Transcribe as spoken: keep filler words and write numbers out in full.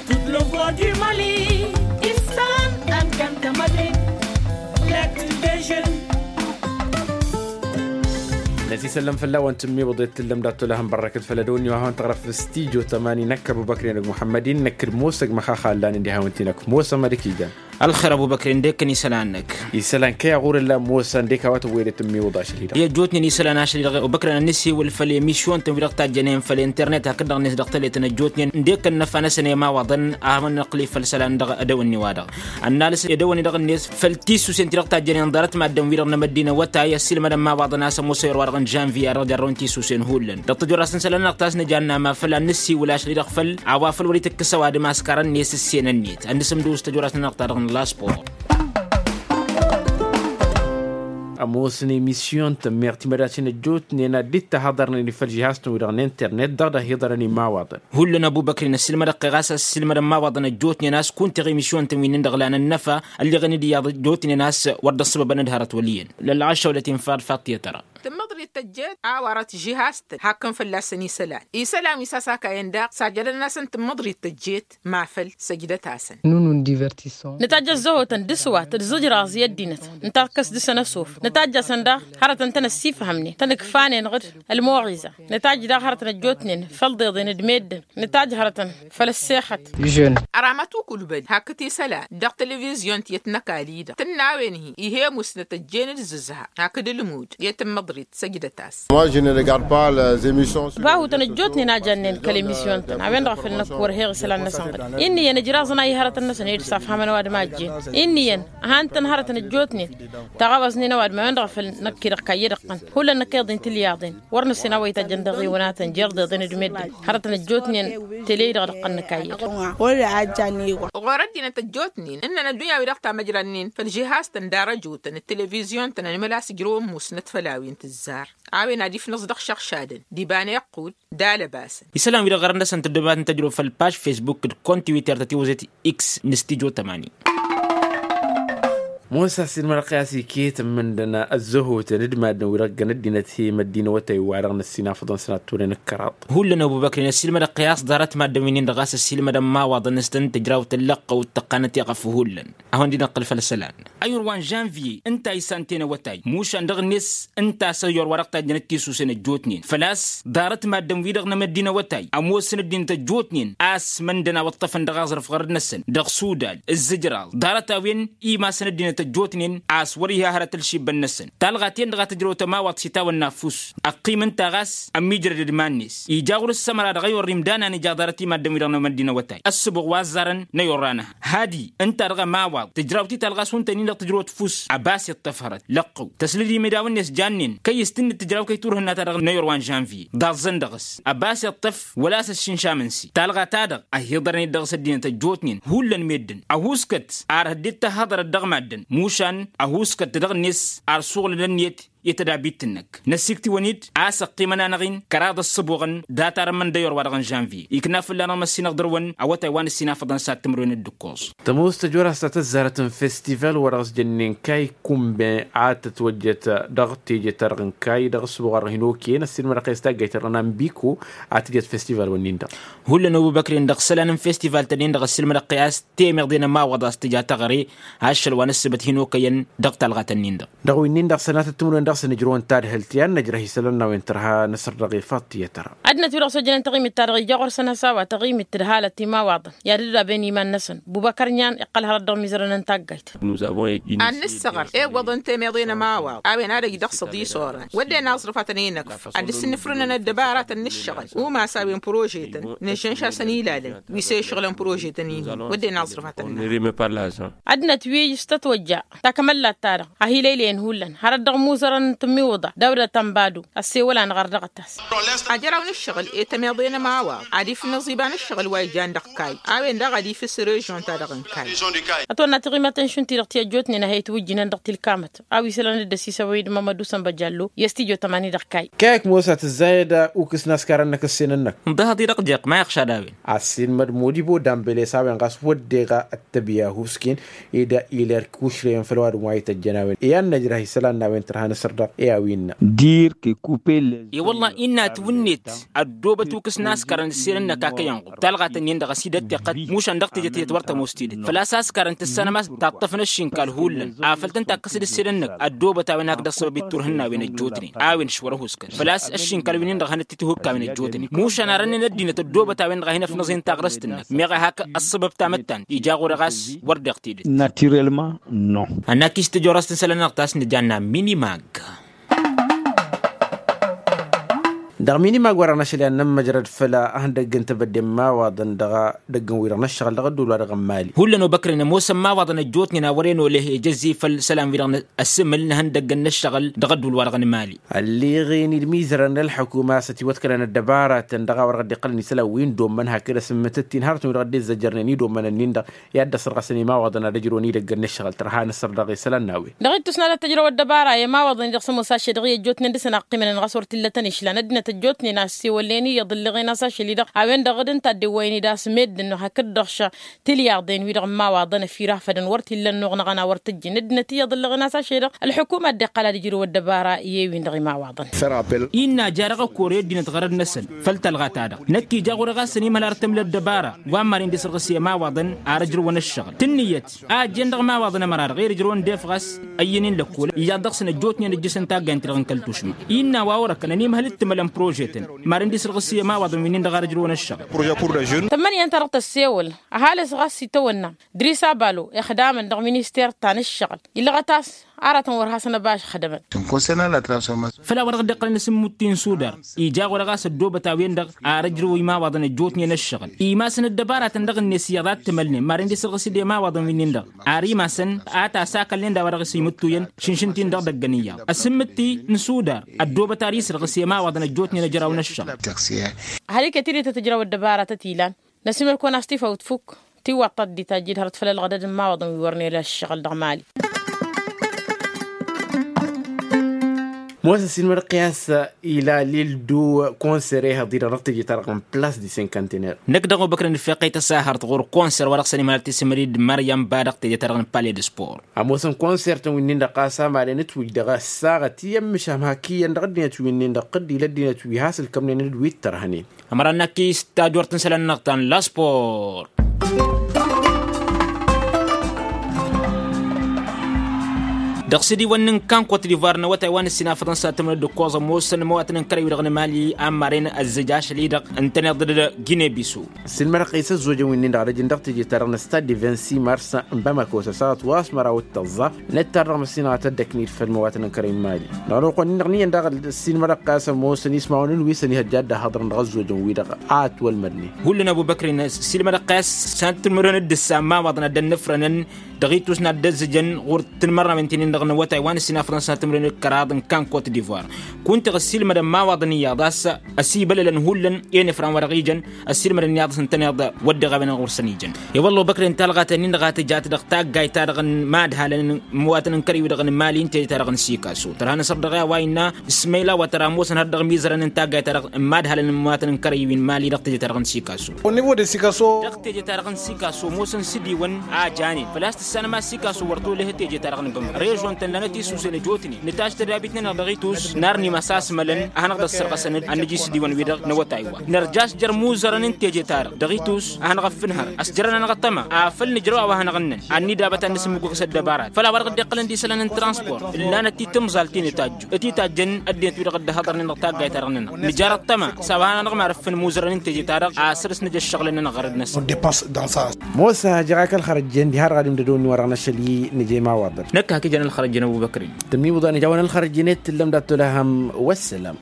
Tut lăvăr di mali isălan ănkăntămădin. Lăktǝl dežăn. Năsisăllăm fălla-wăn tǝmmiwǝḍet tǝllăm dat-tolăhăn bărrăkăt făll-ădăwănni wa hawăn-tăɣrăf s-tijo tămani năkk ăbubăkri n-ăgg muḥămmăd-in năkk d-mosăg măxaxa ăllan ǝndi hawăn-t-inăkk mosăg mad-ăkijăn. Ălxer ăbubăkri ǝndek-kăn isălan-năk. Isălan kăy-aɣur ǝllan mosăg ǝndek a-wa tăwwăyăd tǝmmiwǝḍ ašăl-i-dăɣ. I-ăjjootnen isălan ašăl-i-dăɣ ăbubăkri ad-nǝssiwǝl făll-emisyon-tăn-wi-dăɣ tajjănen făll-internet hakd-dăɣ-net dăɣ-tele-tăn ăjjootnen ǝndek-kăn n-ăfanăsăn i-imawaḍăn a hawăn-năqqǝli făll-isălan dăɣ-edăwănni-wa-dăɣ. Ănnalăs edăwănni-dăɣ-net făll-tisusen ti-dăɣ tajjănen ḍarăt maddǝn-wi-dăɣ n-emăddinăwătay ăssiilmădăn imawaḍăn a-s ămoosăn i-wăr wa-dăɣ n-žănviya dăɣ-jarrăwăn tisusen hullan dăɣ-tăjorasăn isălan-nănăɣ ta s-nǝjanna ma făl ad-nǝssiwǝl ašăl-i-dăɣ făl a-wa făl wăr-itǝkkǝs ăwadǝm a-s karăn-net ǝssenăn-net ad-nǝsǝmdǝw s-tăjorasăn-nănăɣ ta dăɣ-n laspor. Ămoosăn emisyon tămmeɣ timădasen ăjjootnen ad-dd-tahăḍărnen i-făll-žihaz-tăn-wi-dăɣ n-internet dăɣ-dd-ăhiḍărăn imawaḍăn. Hullan ăbubăkri n-ăssiilmădăɣ-kăy ɣas ăssiilmădăn imawaḍăn ăjjootnen a-s kunta i-emisyon-tăn wi-nin-dăɣ lan ănnăfa ălleɣăn-dd iyyăḍ ăjjootnen a-s wăr dd-ăṣṣăbăbăn d-hărăt wăl' iyyăn. Lălɣašăwlăt-in faḍ faḍt i-tăra. Tǝmmăḍrit tăjjeet a wărăt žihaz-tăn hakkăn fălla-săn isălan isălan wi s-a-s akayăn daɣ sajjădăn-asăn tǝmmăḍrit tăjjeet. Ma făl săjdăt-asăn. Nǝtajj ăzzăhotăn d-aswat d-iẓǝjraẓ i-ăddinăt. Nǝtakkăs dăɣ-săn ăsof nǝtajj-asăn daɣ hărătăn tăn-ăssifhămnen tăn-ǝkfanen ɣǝd ălmuɣiza. Nǝtajj daɣ hărătăn ăjjootnen făll-iḍeḍen d-meddǝn. Nǝtajj hărătăn făll-ăssexăt. Ăramăt ukulbăd hakd isălan dăɣ-televizyon tiyyăt n-ăkall-i-dăɣ tǝnna a-wen-hi ih'-e musnăt ăjjeen d-zǝzha hakd ǝlmud i-tǝmmăḍrit săjdăt-as. Bahutăn ăjjootnen a jannen kăl-emisyon-tăn a-wen-dăɣ a făl năkk wăr heɣ isălan-năsăn ɣǝd. Inn'-iyyăn ǝjraẓăn a ihărătăn-năsăn ed s-afhamăn ăwadǝm a ăjjeen. Inn'-iyyăn ăhan-tăn hărătăn ăjjootnen taɣăwăẓnen ăwadǝm a-wen-dăɣ a făl năkk-i-dăɣ kayyăd ǝqqăn. Hullan năkk iḍen tilyaḍen wăr nǝssen a-wa ităjjăn dăɣ-iwǝnatăn jer-deḍen d-meddǝn. Hărătăn ăjjootnen tele-i-dăɣ d-ǝqqăn nǝkayyăd. Ɣur-ăddinăt ăjjootnen ǝnnăn ăddunya-wi-dăɣ tamăjrannen făll-žihaz-tăn d-arăjotăn d-televizyon-tăn ănmăl a-s ǝjrăwăn musnăt făll-a-wen tǝzzar. A-wen ad-ifnǝẓ dăɣ-išăɣšadăn d-iba n-iqqud d-alăbasăn. Isălan-wi-dăɣ ɣărăn-năsăn tǝddǝbat n-tăjrăw făll-paž facebook d-kontiwiter ta tiwǝzet x n-stijo tămani. Mosa ăssiilmădăɣ-t i-a-s iket ǝmmǝndăn ăzzăhotăn d-maddǝn-wi-dăɣ ǝggăn ăddinăt hi-măddinăwătay wa-dăɣ n-ăssinafăḍăn sănat turăn ǝkkăraḍ. Hullan ăbubăkri n-ăssiilmădăɣ-t i-a-s ḍarăt maddǝn-wi-nin-dăɣ a-s ăssiilmădăn imawaḍăn s-tăn-tǝjraw tăllăqqăwt tăqqanăt i-ɣăf hullan. Ad-hawăn-dd-inăqqǝl făll-isălan. Ăyyor wa n-žănviye ǝnta a isan tenăwătay mušan dăɣ-net ǝnta a-s ăyyor wa dăɣ-tajjănăt tisusen ăjjootnen făl-a-s ḍarăt maddǝn-wi-dăɣ n-emăddin awătay ămoosăn ăddinăt ăjjootnen a-s măndăn a wăṭṭăfăn dăɣ-aẓrǝf ɣărăt-năsăn dăɣ-sudal ǝzzǝjraẓ ḍarăt-a-wen imasăn ăddinăt ăjjootnen a-s wăr-iha hărăt ǝlšibbăn-năsăn talɣa-ten-dăɣ a tǝjrăw tămawăḍt s-itawănna ăffuss ăqqim ǝnta ɣas ămmiijrăd d-iman-net ija ɣur-ǝssămăra dăɣ-ewăr imdan a nǝja ḍarăt i-maddǝn-wi-dăɣ n-emăddin awătay ăssǝbuɣ wa ăzzarăn n-ewăr-anăha hadi ǝnta-dăɣ ămawaḍ tǝjrawt-i talɣa s-hunta-nin-dăɣ tǝjrăwăt ǝffuss ăbas iṭṭăf hărăt lăqqăw tăslăd imidawăn-net jannen kăy-s tǝnnǝd tǝjraw kăy-turhǝnna-ta-dăɣ n-ewăr wa n-žănviye ḍaẓẓăn dăɣ-s ăbas iṭṭăf wăla a-s ăššinšam ǝnsi talɣa-ta-dăɣ ăhiḍărăn-dd dăɣ-s ăddinăt ăjjootnen hullan meddǝn ăhuuskăt ar hăddet tăhhăḍărăt dăɣ-maddǝn mušan ăhuuskăt dăɣ-net ar suɣǝlăn ănniyăt i-tădabit-năk năsiktiwăn-dd a-s ăqqimăn-anăɣ-in kăraḍ ăṣṣăbuɣăn dat-arămmăn d-ewăr wa dăɣ-n žănviye ikna fălla-năɣ măssinăɣ dăr-wăn awătay wa n-ǝssinafăḍăn s-ad-tǝmrǝwen d-ǝkkoẓ. Tămoos tăjora s-ta tăzzarăt n-festival wa dăɣ-s jănnen kay kumben a tătwăjjăt dăɣ-teje-ta-dăɣ n-kay dăɣ-ăṣṣăbuɣ wa dăɣ-hin okăyăn ăssiilmădăɣ-t i-s taggayt-ta-dăɣ n-ambiko a tǝjăt festival-wăn-nin-dăɣ. Hullan ăbubăkri-n dăɣ-isălan n-festival-tăn-in-dăɣ ăssiilmădăɣ-t i-a-s temeḍe n-ămawaḍ a-s tǝja taɣre ašăl wa n-ǝssǝbăt hin-okăyăn dăɣ-talɣa-tăn-in-dăɣ. Dăɣ-wi-nin-dăɣ sănatăt timǝrwen dăɣ-săn ǝjrăwăn tadhǝlt i-ad-năjrăh isălan n-a-wen tărha năsăr dăɣ-efăḍ tiyyăt tăra. Ăddinăt wi-dăɣ s-ojjănen taɣimit-ta-dăɣ ija ɣur-săn has-a-wa taɣimit d-halăt imawaḍăn i-ad-dd-aben iman-năsăn bubăkăr n-iyyăn iqqăl hărăt dăɣ-imizărăn n-taggayt. Ad-nǝssăɣăr iwwăḍăn temeḍe n-ămawaḍ a-wen ad-ăj dăɣ-săḍi s-orăn wădden aẓrǝf ad-tăn-e-năkf ad-dd-sǝnnǝfrǝnăn ăddăbaratăn n-ǝššăɣǝl umas a-wen prožetăn nǝžžănš'-asăn ilalăn wi s-e-išɣǝlăn prožetăn-in-dăɣ wădden aẓrǝf ad-tăn-e-năkf. Ăddinăt wi s-tătwăjja takămăllat-ta-dăɣ a hi-lăylăyăn hullan hărăt dăɣ-imuzărăn n-tǝmmiwǝḍa dawdăt ănbadu ăssewăl-anăɣ ar dăɣ-tăs. Ajăraw n-ǝššăɣǝl i-tămeḍe n-ămawaḍ ad-ifnǝẓ iba n-ǝššăɣǝl wa ijan dăɣ-kay a-wen daɣ ad-ifǝs režion-ta-dăɣ n-kay. Ătwănna tiɣimăten šund-ti-dăɣ ti ăjjootnen a he-itwǝjjǝnen dăɣ-tilkamăt a-wa isălan dd-ăsisăwăy d-mămădu sănbăjallo i-ăstijjo tămani dăɣ-kay. Kayăk mosa tǝzzayăd ukǝs n-askarăn-năk ǝssin-năk. Ǝnḍăhăḍ-i dăɣ-jeɣ ma iɣšad a-wen. Assin măd modibo dambele s-a-wen ɣas wădden ɣa ăttăbya husken ed iler kušreyăn făll-ăwadǝm wa ităjjăn a-wen i-ad-năjrăh isălan n-a-wen tărha n-asăr. Dăɣ-e-a-wi innă. Dire que couper les. E-wălla-hi innă ătwǝnnet ăddoobăt ukǝs n-askarăn ǝsselăn-năk a kăy-ănɣur talɣat-ǝnnin-dăɣ a-s idăt tiqqăt mušan dăɣ-teje-t iyyăt wăr tămoos tidǝt făl-a-s askarăn tǝssanăm a-s taṭṭăfăn ăššinkal hullan afăl tăn-takkăsăd ǝsselăn-năk ăddoobăt a-wen hak dăɣ-săbăb itturhǝnna a-wen ăjjootnen a-wen šwăr-ăhuskăl făl-a-s ăššinkal wi-nin-dăɣ a hanăt-titǝhukk a-wen ăjjootnen mušan arănnen ăddinăt ăddoobăt a-wen-dăɣ a hin-ăfnăẓen taɣrăst-năk meɣ a hak ăṣṣăbăb tamăttant ija ɣur-e ɣas wăr deɣ tidǝt. Naturellement. Nănn. Ănn-ak-i s-tǝjorăst n-isălan-năɣ ta s-nǝjanna minimag. Dăɣ-minimag wăr-ănăšăl i-ad-nămmăjrăd făll-ihăndăgg n-tebădde n-imawaḍăn dăɣ-edăgg n-wi-dăɣ n-ăššăɣǝl dăɣ-ădduul-wa-dăɣ n-mali. Hullan obăkrăn ămoosăn imawaḍăn ăjjootnen a wăren oleh ejăzzi făll-isălan-wi-dăɣ n-ăssǝmǝl n-ihăndăggăn n-ăššăɣǝl dăɣ-ădduul-wa-dăɣ n-mali. Ălleɣen-dd imizărăn n-ălḥukuma s-ătiwăḍkălăn ăddăbaratăn dăɣ-a-wa dăɣ-dd-iqqălăn isălan wi n-dommăn hakd asǝmmǝtǝt-in hărătăn wi-dăɣ dd-izzăjărnen idommăn-ǝnnin-dăɣ i-ad-dd-ăssărɣăsăn imawaḍăn ad-ǝjrǝwăn idăgg n-ăššăɣǝl tărha n-asărdăɣ isălan n-a-wen. Dăɣ-ittus n-ad-tăjrăw ăddăbara i-imawaḍăn-i-dăɣ s-ămoos ašăl-i-dăɣ i-ăjjootnen dăr-săn a ăqqimănăn ɣas wăr t-illa tăn-išlan ăddinăt ăjjootnen a ăssewălnen iyyăḍ ǝlleɣen-as ašăl-i-dăɣ a-wen-dăɣ d-ǝnta a dd-iwwăyăn-dd a-s meddǝn-năɣ hakd-dăɣ š-tilyaḍen-wi-dăɣ n-imawaḍăn ăfirafădăn wăr t-illa ănnuɣ-năɣăn a wăr t-ǝjjǝn ăddinăt iyyăḍ ǝlleɣen-as ašăl-i-dăɣ ălḥukuma a dd-iqqăl ad-ǝjrǝw ăddăbara i-ewin dăɣ-imawaḍăn. Innă a ja dăɣ-ăkor i-ăddinăt ɣărăd-năsăn făll-tălɣa-ta-dăɣ năkk ija ɣur-e ɣas ănimhăl ar tǝmla ăddăbara wa n-maren d-isărɣǝs i-ămawaḍăn ar ǝjrǝwăn ăššăɣǝl tǝnnǝyăt a ăjjeen dăɣ-imawaḍăn ămăra-dăɣ i-ad-ǝjrǝwăn d-efɣas ăyyănen lăkkol iyyăḍ dăɣ-săn ăjjootnen ǝjjǝsăn taggayăn-ti-dăɣ n-kăl-tušma. Innă a-wa orăkăn ănimhăl d-tǝmălăn prožetăn maren d-isărɣǝs i-ămawaḍăn wi-nin-dăɣ ar ǝjrǝwăn ăššăɣǝl. Tămmăniyăn-ta-dăɣ tăssewăl ăhalǝs ɣas itawănna dris abalo ixdamăn dăɣ-minister ta n-ǝššăɣǝl illăɣăt-as aratăn wăr hasăn-ăbašăxdămăn. Făl-a-wa dăɣ-dd-iqqălăn asǝmmut-in sudar ija ɣur-e ɣas ăddoobăt a-wen-dăɣ ar ǝjrǝw imawaḍăn ăjjootnen ăššăɣǝl imasăn ăddăbaratăn dăɣ-net iyyăḍ a t-tǝmălnen maren d-isărɣǝs-dd i-imawaḍăn wi-nin-dăɣ ar imasăn a tasakălnen d-a-wa dăɣ-s imǝttuyăn šǝnšǝn-t-in dăɣ-idăggăn iyyăḍ asǝmmǝtti n-sudar ăddoobăt ar isărɣǝs i-imawaḍăn ăjjootnen ăjraw n-ăššăɣǝl. Ăhăl iket-dd i-tăt-ǝjraw ăddăbaratăt ilan năsimăl-kăwăn-as tifawt fukk tiwwaḍt ta dd-itajjed hărăt făll-ălɣădăd n-imawaḍăn wi wăren ăššăɣǝl dăɣ-mali. Mosa s-inmădăɣ-t i-a-s ila lil-du konsăr ehăḍ-i-dăɣ dăɣ-teje-ta-dăɣ n-plas di senkantener. Năkk dăɣ-obăkren d-feqqăy tăsahărt ɣur-konsăr wa dăɣ-săn imhăl tisǝmrid mariam ba dăɣ-teje-ta-dăɣ n-pale d-spor. Ămoosăn konsărtăn wi-nin-dăɣ ɣas amalen ǝtwǝj dăɣ-ăssaɣăt i-ămmǝšam hak iyyăn dăɣ-ăddinăt wi-nin-dăɣ tǝddǝy l-ăddinăt wi has-ǝlkămnen d-wi t-tărhănen. Ămăra n-akis tajort n-isălan-năɣ ta n-laspor. Dăɣ-sǝdiwăn n-inka n-kot divoir n-awătay wa n-ǝssin afăḍăn s-ad-tǝmrăd d-ǝkkoẓ ămoosăn imawatăn n-kărăy-wi-dăɣ n-emali a n-maren ăzzăj ašăl-i-dăɣ ǝntăneḍ d-gine bisu. Ăssiilmădăɣ-t i-s ăzzojăn wi-nin-dăɣ ad-ăjǝn dăɣ-teje-ta-dăɣ n-stad de vingt-six mars n-bamako s-ăsaɣăt wa s-măraw d-tăẓẓa. Năttar dăɣ-măssinăɣ a tăddăknid făll-imawatăn n-kărăy n-imali. Dăɣ-ălwăqq-wen-dăɣ n-iyyăn daɣ ăssiilmădăɣ-t a-s ămoosăn ismawăn n-wi s-ănihăjja ad-dd-ăhhăḍrăn dăɣ-ăzzojăn-wi-dăɣ a ătwălmădnen. Hullan ăbubăkr-in ăssiilmădăɣ-t a-s s-ad-tǝmrǝn d-ǝssa n-imawaḍăn ad-dd-ănnăfrănăn dăɣ-itus n-ad-dd-ăzzǝjăn ɣur-tǝnmărnawen ti-nin-dăɣ n-awătay wa n-ǝssin afăḍăn s-ad-tǝmrǝn d-kăraḍ n-kan kot divoir. Kunta ăssiilmădăn imawaḍăn iyyăḍ a-s ăsibălălăn hullan i-inǝfran wa dăɣ-ijăn ăssiilmădăn iyyăḍ a-s ǝntăneḍ wădden a-wen ɣur-săn ijăn. I-wălla obăkren talɣa ta-nin-dăɣ a tǝjat dăɣ-taggayt-ta-dăɣ n-imadhalăn n-imawatăn n-kărăy-wi-dăɣ n-imali n-teje-ta-dăɣ n-sikaso tărha n-asărdăɣ i-a-wa innă ismăyla wa tăra ămoosăn har dăɣ-imizărăn n-taggayt-ta-dăɣ n-imadhalăn n-imawatăn n-kărăy-wi n-imali dăɣ-teje-ta-dăɣ n-sikaso. Dăɣ-teje-ta-dăɣ n-sikaso ămoosăn s-ǝdiwăn a janen făl-a-s tǝssanăm a-s sikaso wăr t-oleh teje-ta-dăɣ n-bămăr režon-tăn lanăt-isusen ăjotnen nǝtaš tădabit-nănăɣ dăɣ-itus n-arnim ăsasmălăn ad-hanăɣ-dd-ăssărɣăsăn ad-nǝj isǝdiwăn-wi-dăɣ n-awătay-wa nărjaš jer-imuzărăn n-teje-ta-dăɣ dăɣ-itus ad-hanăɣ-ăffǝnhăr ăsjărăn-anăɣ ăṭṭăma afăl nǝjrăw a-wa hanăɣ-ǝnnăn ad-nǝdabăt ad-nǝsǝmmǝgug s-ăddăbarat făll-a-wa dăɣ-dd-iqqălăn d-isălan n-transport ǝllanăt-i timẓalt ti n-itajju ătitajjăn ăddinăt-wi-dăɣ dd-ăhhăḍărnen dăɣ-taggayt-ta-dăɣ-nănăɣ nǝjar ăṭṭăma s-a-wa hanăɣ-mărǝf n-imuzărăn n-teje-ta-dăɣ a săr-s nǝj ăššăɣǝl-nănăɣ ɣărăd-năsăn. Mosa jeɣ-ak ălxărăjjăn diha dăɣ-ad-imdădăwăn-in wa dăɣ-năšăl-i nǝj'-e imawaḍăn. Năkk hak ijăn ălxărăjjăn ăbubăkrin. Tămmiwǝḍan ija a-wen ălxărăjjăn i-t tǝllăm d-ad-tolăhăm. Wăssălam.